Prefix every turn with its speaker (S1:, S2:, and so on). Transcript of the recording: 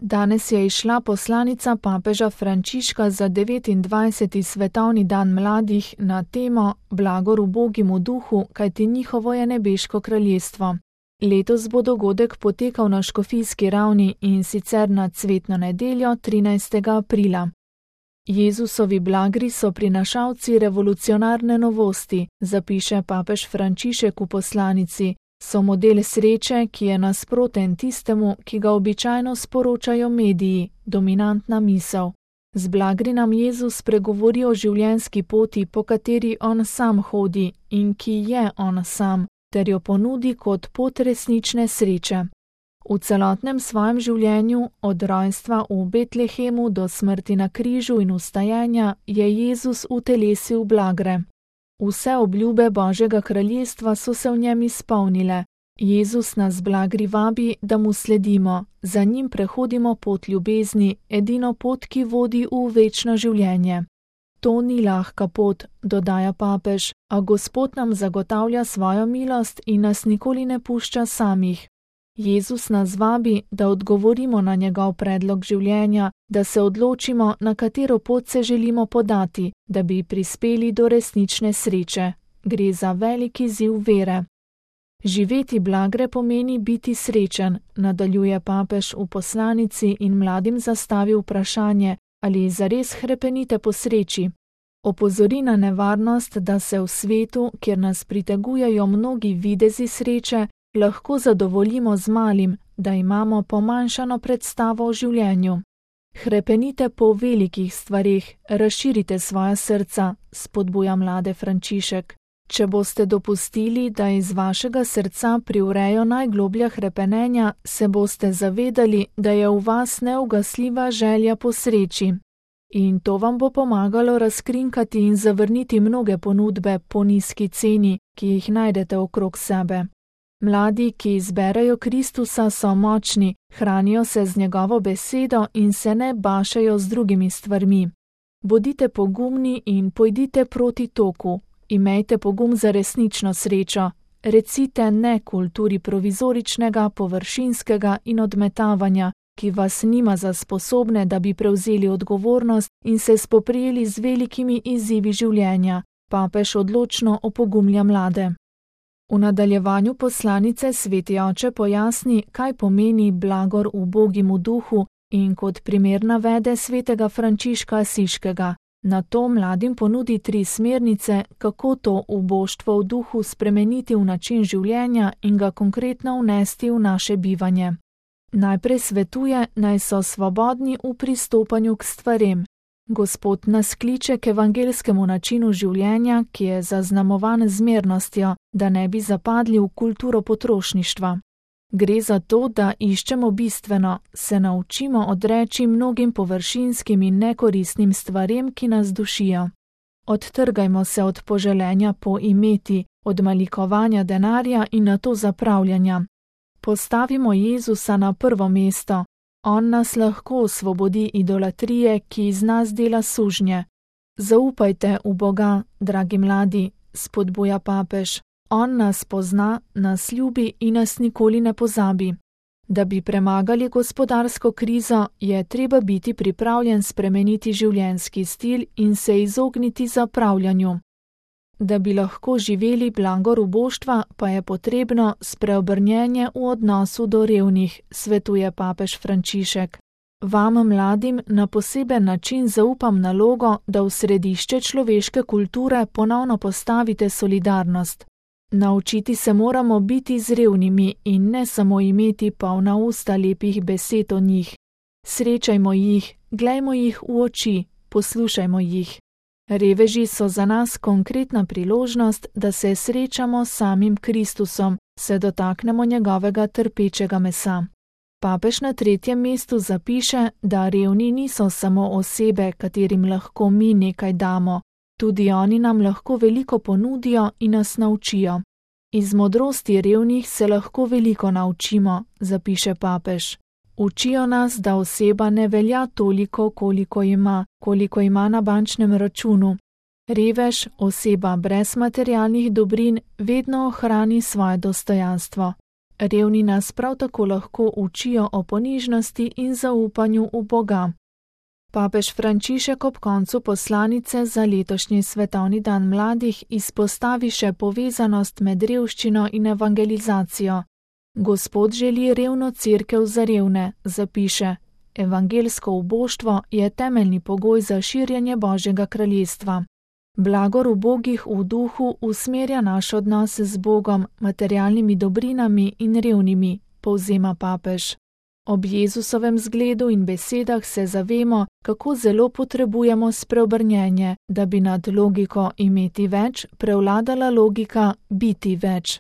S1: Danes je izšla poslanica papeža Frančiška za 29. svetovni dan mladih na temo Blagor ubogim v duhu, kajti njihovo je nebeško kraljestvo. Letos bo dogodek potekal na škofijski ravni in sicer na cvetno nedeljo 13. aprila. Jezusovi blagri so prinašalci revolucionarne novosti, zapiše papež Frančišek v poslanici. So model sreče, ki je nasproten tistemu, ki ga običajno sporočajo mediji, dominantna misel. Z blagri nam Jezus pregovori o življenjski poti, po kateri on sam hodi in ki je on sam, ter jo ponudi kot pot resnične sreče. V celotnem svojem življenju, od rojstva v Betlehemu do smrti na križu in vstajenja, je Jezus utelesil blagre. Vse obljube Božjega kraljestva so se v njem izpolnile. Jezus nas blagri vabi, da mu sledimo, za njim prehodimo pot ljubezni, edino pot, ki vodi v večno življenje. To ni lahka pot, dodaja papež, a Gospod nam zagotavlja svojo milost in nas nikoli ne pušča samih. Jezus nas vabi, da odgovorimo na njegov predlog življenja, da se odločimo, na katero pot se želimo podati, da bi prispeli do resnične sreče. Gre za veliki izziv vere. Živeti blagre pomeni biti srečen, nadaljuje papež v poslanici in mladim zastavi vprašanje, ali zares hrepenite po sreči. Opozori na nevarnost, da se v svetu, kjer nas pritegujejo mnogi videzi sreče, lahko zadovoljimo z malim, da imamo pomanjšano predstavo o življenju. Hrepenite po velikih stvareh, razširite svoja srca, spodbuja mlade Frančišek. Če boste dopustili, da iz vašega srca privrejo najgloblja hrepenenja, se boste zavedali, da je v vas neugasljiva želja po sreči. In to vam bo pomagalo razkrinkati in zavrniti mnoge ponudbe po nizki ceni, ki jih najdete okrog sebe. Mladi, ki izberejo Kristusa, so močni, hranijo se z njegovo besedo in se ne bašejo z drugimi stvarmi. Bodite pogumni in pojdite proti toku. Imejte pogum za resnično srečo. Recite ne kulturi provizoričnega, površinskega in odmetavanja, ki vas nima za sposobne, da bi prevzeli odgovornost in se spoprijeli z velikimi izzivi življenja. Papež odločno opogumlja mlade. V nadaljevanju poslanice sveti oče pojasni, kaj pomeni blagor ubogim v duhu in kot primer navede svetega Frančiška Asiškega. Nato mladim ponudi 3 smernice, kako to uboštvo v duhu spremeniti v način življenja in ga konkretno vnesti v naše bivanje. Najprej svetuje, naj so svobodni v pristopanju k stvarem. Gospod nas kliče k evangelskemu načinu življenja, ki je zaznamovan z mirnostjo, da ne bi zapadli v kulturo potrošništva. Gre za to, da iščemo bistveno, se naučimo odreči mnogim površinskim in nekoristnim stvarem, ki nas dušijo. Odtrgajmo se od poželenja po imeti, od malikovanja denarja in nato zapravljanja. Postavimo Jezusa na prvo mesto. On nas lahko osvobodi idolatrije, ki iz nas dela sužnje. Zaupajte v Boga, dragi mladi, spodbuja papež. On nas pozna, nas ljubi in nas nikoli ne pozabi. Da bi premagali gospodarsko krizo, je treba biti pripravljen spremeniti življenjski stil in se izogniti zapravljanju. Da bi lahko živeli blagor uboštva, pa je potrebno spreobrnjenje v odnosu do revnih, svetuje papež Frančišek. Vam, mladim, na poseben način zaupam nalogo, da v središče človeške kulture ponovno postavite solidarnost. Naučiti se moramo biti z revnimi in ne samo imeti polna usta lepih besed o njih. Srečajmo jih, glejmo jih v oči, poslušajmo jih. Reveži so za nas konkretna priložnost, da se srečamo s samim Kristusom, se dotaknemo njegovega trpečega mesa. Papež na 3. mestu zapiše, da revni niso samo osebe, katerim lahko mi nekaj damo. Tudi oni nam lahko veliko ponudijo in nas naučijo. Iz modrosti revnih se lahko veliko naučimo, zapiše papež. Učijo nas, da oseba ne velja toliko, koliko ima na bančnem računu. Revež, oseba brez materialnih dobrin, vedno ohrani svoje dostojanstvo. Revni nas prav tako lahko učijo o ponižnosti in zaupanju v Boga. Papež Frančišek ob koncu poslanice za letošnji svetovni dan mladih izpostavi še povezanost med revščino in evangelizacijo. Gospod želi revno cerkev za revne, zapiše. Evangelsko uboštvo je temeljni pogoj za širjenje Božjega kraljestva. Blagor ubogih v duhu usmerja naš odnos z Bogom, materialnimi dobrinami in revnimi, povzema papež. Ob Jezusovem zgledu in besedah se zavemo, kako zelo potrebujemo spreobrnjenje, da bi nad logiko imeti več prevladala logika biti več.